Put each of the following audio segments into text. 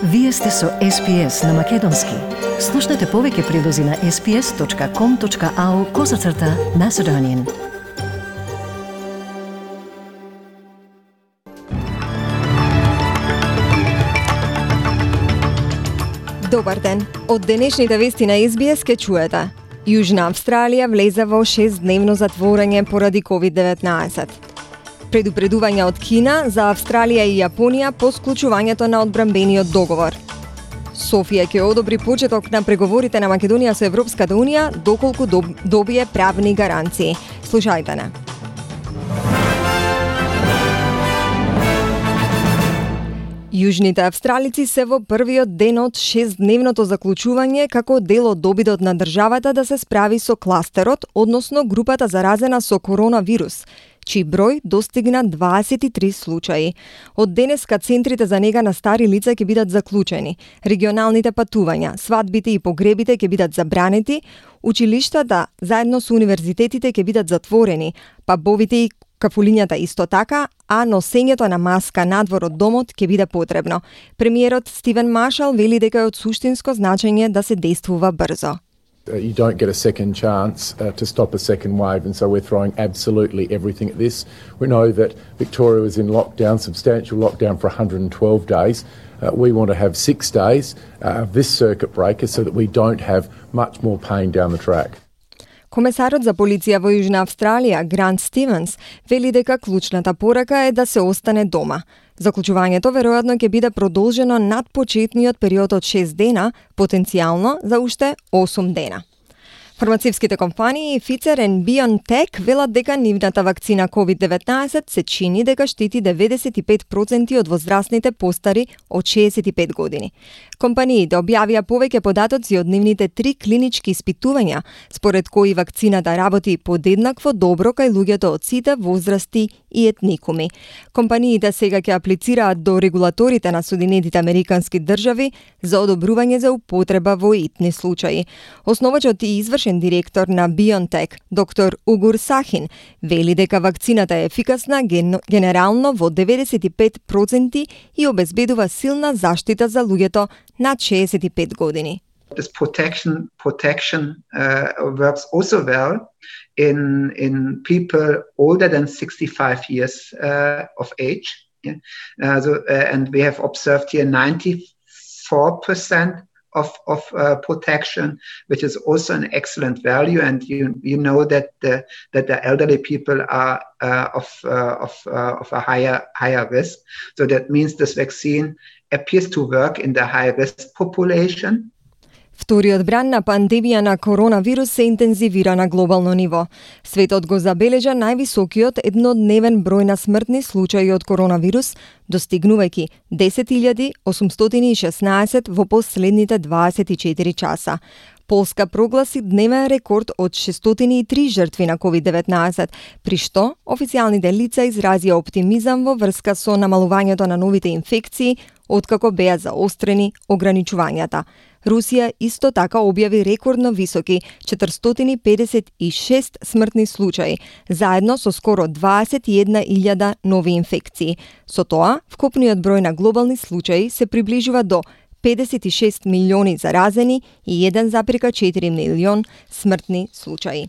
Вие сте со SPS на Македонски. Слушнете повеќе прилози на sps.com.au/Macedonian. Добар ден. Од денешните вести на SBS ке чуете. Јужна Австралија влезе во 6-дневно затворање поради COVID-19. Предупредување од Кина за Австралија и Јапонија по склучувањето на одбранбениот договор. Софија ќе одобри почеток на преговорите на Македонија со Европската Унија доколку добие правни гаранции. Слушајте не. Јужните австралици се во првиот ден од 6-дневното заклучување како дел од обидот на државата да се справи со кластерот, односно групата заразена со коронавирус, чиј број достигна 23 случаи. Од денеска центрите за нега на стари лица ќе бидат заклучени, регионалните патувања, свадбите и погребите ќе бидат забранети, училиштата заедно со универзитетите ќе бидат затворени, пабовите и кафулињата исто така, а носењето на маска надвор од домот ќе биде потребно. Премиерот Стивен Маршал вели дека е од суштинско значење да се действува брзо. You don't get a second chance to stop a second wave, and so we're throwing absolutely everything at this. We know that Victoria was in lockdown, substantial lockdown for 112 days. We want to have 6 days of this circuit breaker so that we don't have much more pain down the track. Комесарот за полиција во Јужна Австралија, Грант Стивенс, вели дека клучната порака е да се остане дома. Заклучувањето веројатно ќе биде продолжено над почетниот период од 6 дена, потенцијално за уште 8 дена. Фармацевските компании Pfizer и BioNTech велат дека нивната вакцина COVID-19 се чини дека штити 95% од возрастните постари од 65 години. Компаниите објавија повеќе податоци од нивните 3 клинички испитувања, според кои вакцината работи подеднакво добро кај луѓето од сите возрасти и етникуми. Компаниите сега ќе аплицираат до регулаторите на Соединетите Американски држави за одобрување за употреба во итни случаи. Основачот и извршен директор на BioNTech, доктор Угур Сахин, вели дека вакцината е ефикасна генерално во 95% и обезбедува силна заштита за луѓето над 65 години. This protection works also well in people older than 65 years of age. And we have observed here 94% of protection, which is also an excellent value. And you know that the elderly people are of a higher risk. So that means this vaccine appears to work in the high-risk population. Вториот бран на пандемија на коронавирус се интензивира на глобално ниво. Светот го забележа највисокиот еднодневен број на смртни случаи од коронавирус, достигнувајќи 10.816 во последните 24 часа. Полска прогласи дневен рекорд од 603 жртви на COVID-19, при што официјалните лица изразија оптимизам во врска со намалувањето на новите инфекции, откако беа заострени ограничувањата. Русија исто така објави рекордно високи 456 смртни случаи, заедно со скоро 21.000 нови инфекции. Со тоа, вкупниот број на глобални случаи се приближува до 56 милиони заразени и 1,4 милион смртни случаи.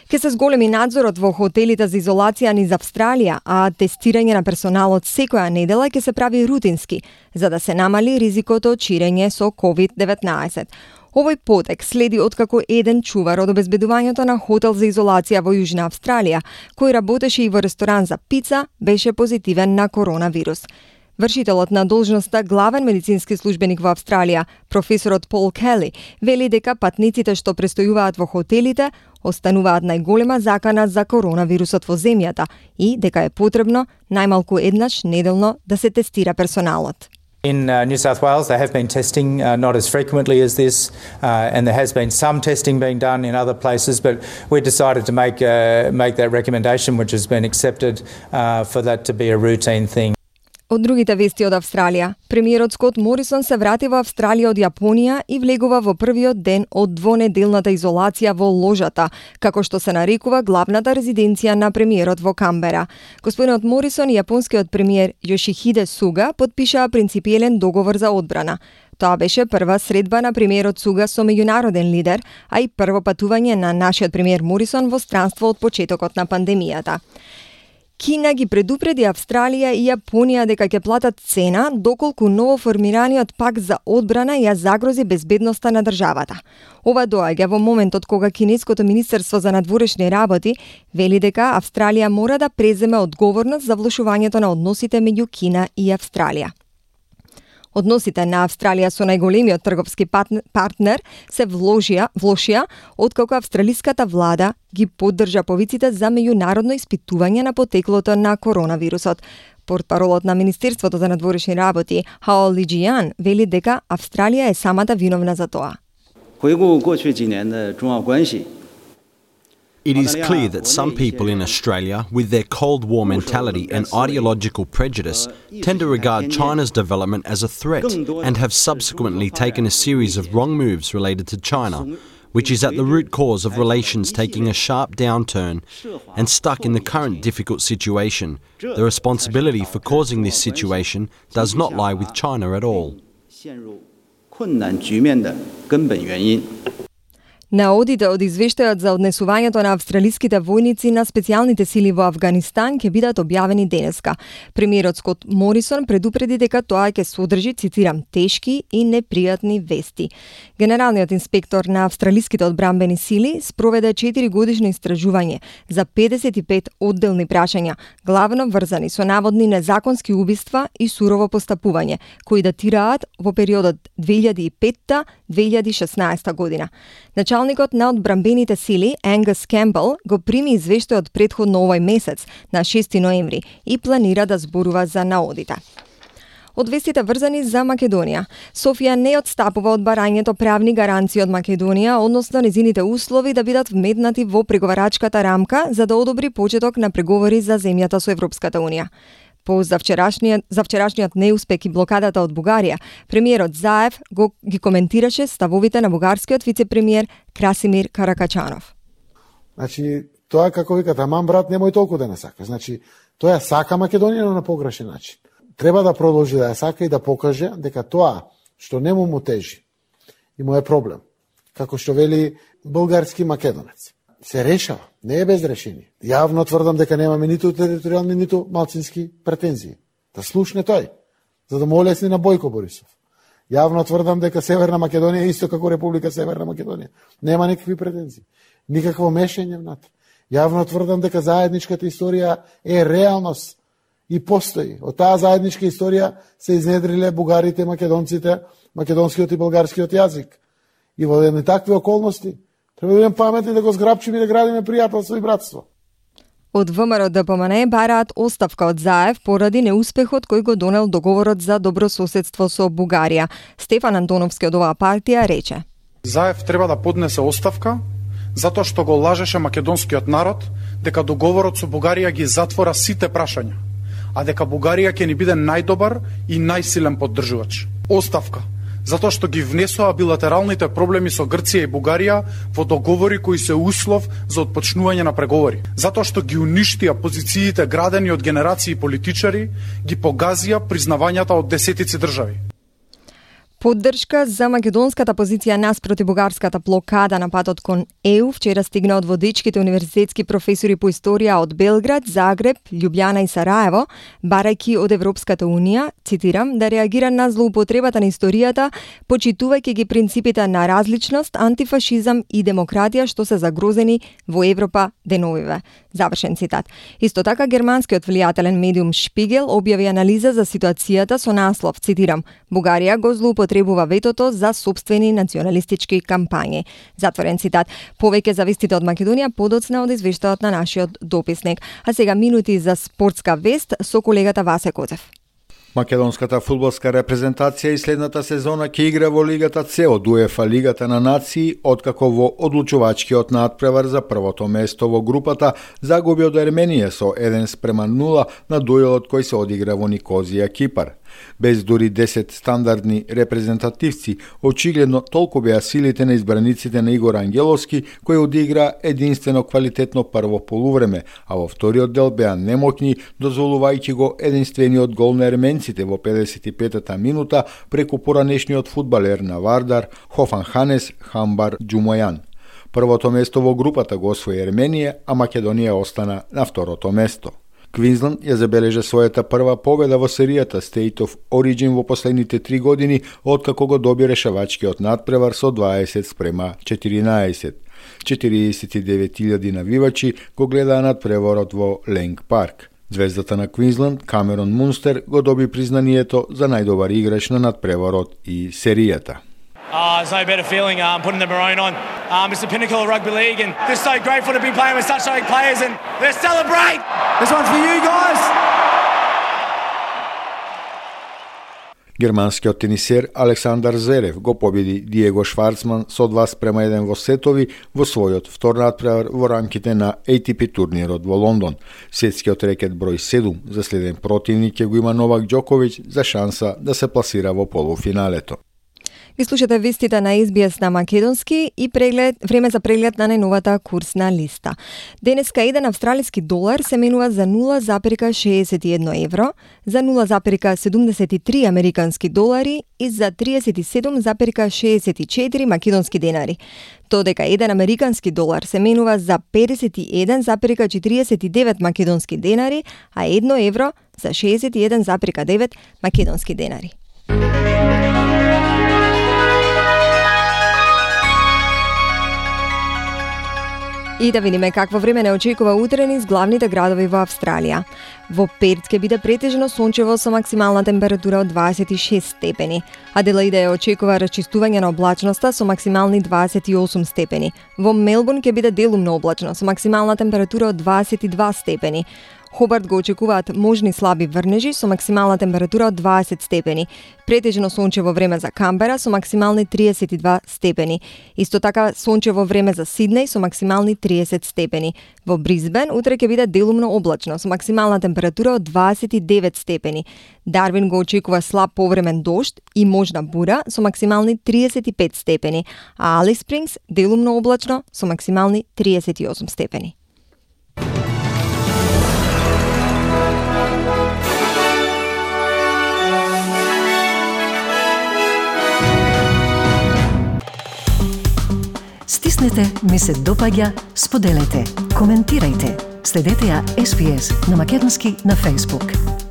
Ке се зголеми надзорот во хотелите за изолација низ Австралија, а тестирање на персоналот секоја недела ќе се прави рутински, за да се намали ризикото од ширење со COVID-19. Овој потек следи откако еден чувар од обезбедувањето на хотел за изолација во Јужна Австралија, кој работеше и во ресторан за пица, беше позитивен на коронавирус. Вршителот на должноста главен медицински службеник во Австралија, професорот Пол Кели, вели дека патниците што престојуваат во хотелите остануваат најголема закана за коронавирусот во земјата и дека е потребно најмалку еднаш неделно да се тестира персоналот. In New South Wales, they have been testing not as frequently as this, and there has been some testing being done in other places, but we decided to make that recommendation, which has been accepted, for that to be a routine thing. Од другите вести од Австралија, премиерот Скот Морисон се врати во Австралија од Јапонија и влегува во првиот ден од двонеделната изолација во ложата, како што се нарекува главната резиденција на премиерот во Камбера. Господинот Морисон и јапонскиот премиер Јошихиде Суга потпишаа принципиелен договор за одбрана. Тоа беше прва средба на премиерот Суга со меѓународен лидер, а и прво патување на нашиот премиер Морисон во странство од почетокот на пандемијата. Кина ги предупреди Австралија и Јапонија дека ќе платат цена доколку новоформираниот пакт за одбрана ја загрози безбедноста на државата. Ова доаѓа во моментот кога Кинеското министерство за надворешни работи вели дека Австралија мора да преземе одговорност за влошувањето на односите меѓу Кина и Австралија. Односите на Австралија со најголемиот трговски партнер се влошија откако австралиската влада ги поддржа повиците за меѓународно испитување на потеклото на коронавирусот. Портпаролот на Министерството за надворешни работи Хао Лиџијан вели дека Австралија е самата виновна за тоа. It is clear that some people in Australia, with their Cold War mentality and ideological prejudice, tend to regard China's development as a threat and have subsequently taken a series of wrong moves related to China, which is at the root cause of relations taking a sharp downturn and stuck in the current difficult situation. The responsibility for causing this situation does not lie with China at all. Наодите од извештајот за однесувањето на австралиските војници на специјалните сили во Афганистан ќе бидат објавени денеска. Премиерот Скот Морисон предупреди дека тоа ќе содржи, цитирам, тешки и непријатни вести. Генералниот инспектор на австралиските одбранбени сили спроведе 4-годишно истражување за 55 одделни прашања, главно врзани со наводни незаконски убиства и сурово постапување, кои датираат во периодот 2005-2016 година. Началникот на одбранбените сили, Ангус Кембел, го прими извештајот претходно овој месец, на 6 ноември, и планира да зборува за наодите. Од вестите врзани за Македонија. Софија не отстапува од барањето правни гаранции од Македонија, односно незините услови да бидат вметнати во преговарачката рамка за да одобри почеток на преговори за земјата со Европската Унија. За вчерашниот неуспех и блокадата од Бугарија, премиерот Заев ги коментираше ставовите на бугарскиот вице-премиер Красимир Каракачанов. Значи, тоа како вика, таман брат немој толку да не сака. Значи, тоа сака Македонија, но на погрешен начин. Треба да продолжи да ја сака и да покаже дека тоа што не му тежи и му е проблем, како што вели бугарски македонец, се решава, не е без решение. Јавно тврдам дека немаме ниту територијални, ниту малцински претензии. Да слушне тој, за да му олесни на Бојко Борисов. Јавно тврдам дека Северна Македонија е исто како Република Северна Македонија. Нема никакви претензии, никакво мешање внатре. Јавно тврдам дека заедничката историја е реалност и постои. Од таа заедничка историја се изнедриле бугарите, македонците, македонскиот и болгарскиот јазик. И во едни такви околности треба да бидеме паметни да го зграбчиме и да градиме пријателство и братство. Од ВМРО ДПМН бараат оставка од Заев поради неуспехот кој го донел договорот за добрососедство со Бугарија. Стефан Антоновски од оваа партија рече: Заев треба да поднесе оставка затоа што го лажеше македонскиот народ дека договорот со Бугарија ги затвора сите прашања, а дека Бугарија ќе ни биде најдобар и најсилен поддржувач. Оставка затоа што ги внесоа билатералните проблеми со Грција и Бугарија во договори кои се услов за отпочнување на преговори. Затоа што ги уништија позициите градени од генерации политичари, ги погазија признавањата од десетици држави. Поддршка за македонската позиција наспроти бугарската блокада на патот кон ЕУ вчера стигна од водечките универзитетски професори по историја од Белград, Загреб, Љубљана и Сараево, барајќи од Европската Унија, цитирам, да реагира на злоупотребата на историјата, почитувајќи ги принципите на различност, антифашизам и демократија што се загрозени во Европа деновиве. Завршен цитат. Исто така, германскиот влијателен медиум Шпигел објави анализа за ситуацијата со наслов, цитирам, Бугарија го злоупотребува ветото за собствени националистички кампањи. Затворен цитат. Повеќе за вестите од Македонија подоцна од извештајот на нашиот дописник. А сега минути за спортска вест со колегата Васе Коцев. Македонската фудбалска репрезентација и следната сезона ќе игра во Лигата С од УЕФА Лигата на нации, откако во одлучувачкиот надпревар за првото место во групата загуби од Ерменија со 1:0 на дуелот кој се одигра во Никозија, Кипар. Без дури 10 стандардни репрезентативци, очигледно толку беа силите на избраниците на Игор Ангеловски, кој одигра единствено квалитетно прво полувреме, а во вториот дел беа немоќни, дозволувајќи го единствениот гол на ерменците во 55-та минута преку поранешниот фудбалер на Вардар, Хофанханес Хамбар Џумојан. Првото место во групата го освои Ерменија, а Македонија остана на второто место. Квинсленд ја забележа својата прва победа во серијата State of Origin во последните 3 години, откако го доби решавачкиот надпревар со 20:14. 49.000 навивачи го гледаа надпреварот во Ленг парк. Звездата на Квинсленд, Камерон Мунстер, го доби признанието за најдобар играч на надпреварот и серијата. There's no better feeling putting the maroon on. It's the pinnacle of rugby league, and they're so grateful to be playing with such great players, and let's celebrate! This one's for you guys! Германскиот тенисер Александар Зверев го победи Диего Шварцман со 2:1 во сетови во својот втор надпревар во рамките на ATP турнирот во Лондон. Светскиот рекет број 7 за следен противник ќе го има Новак Џоковиќ за шанса да се пласира во полуфиналето. Ги слушате вестите на SBS на македонски и време за преглед на најновата курсна листа. Денеска еден австралиски долар се менува за 0,61 евро, за 0,73 американски долари и за 37,64 македонски денари. Додека еден американски долар се менува за 51,49 македонски денари, а 1 евро за 61,9 македонски денари. И да видиме какво време не очекува утре низ главните градови во Австралија. Во Перт ќе биде претежно сончево со максимална температура од 26 степени. Аделаида ја очекува расчистување на облачноста со максимални 28 степени. Во Мелбурн ќе биде делумно облачно со максимална температура од 22 степени. Хобарт го очекуваат можни слаби врнежи со максимална температура од 20 степени. Претежно сончево време за Камбера со максимални 32 степени. Исто така сончево време за Сиднеј со максимални 30 степени. Во Брисбен утре ќе биде делумно облачно со максимална температура од 29 степени. Дарвин го очекува слаб повремен дожд и можна бура со максимални 35 степени, а Алис Спрингс делумно облачно со максимални 38 степени. Стиснете, ми се допаѓа, споделете, коментирајте. Следете ја SBS на македонски на Facebook.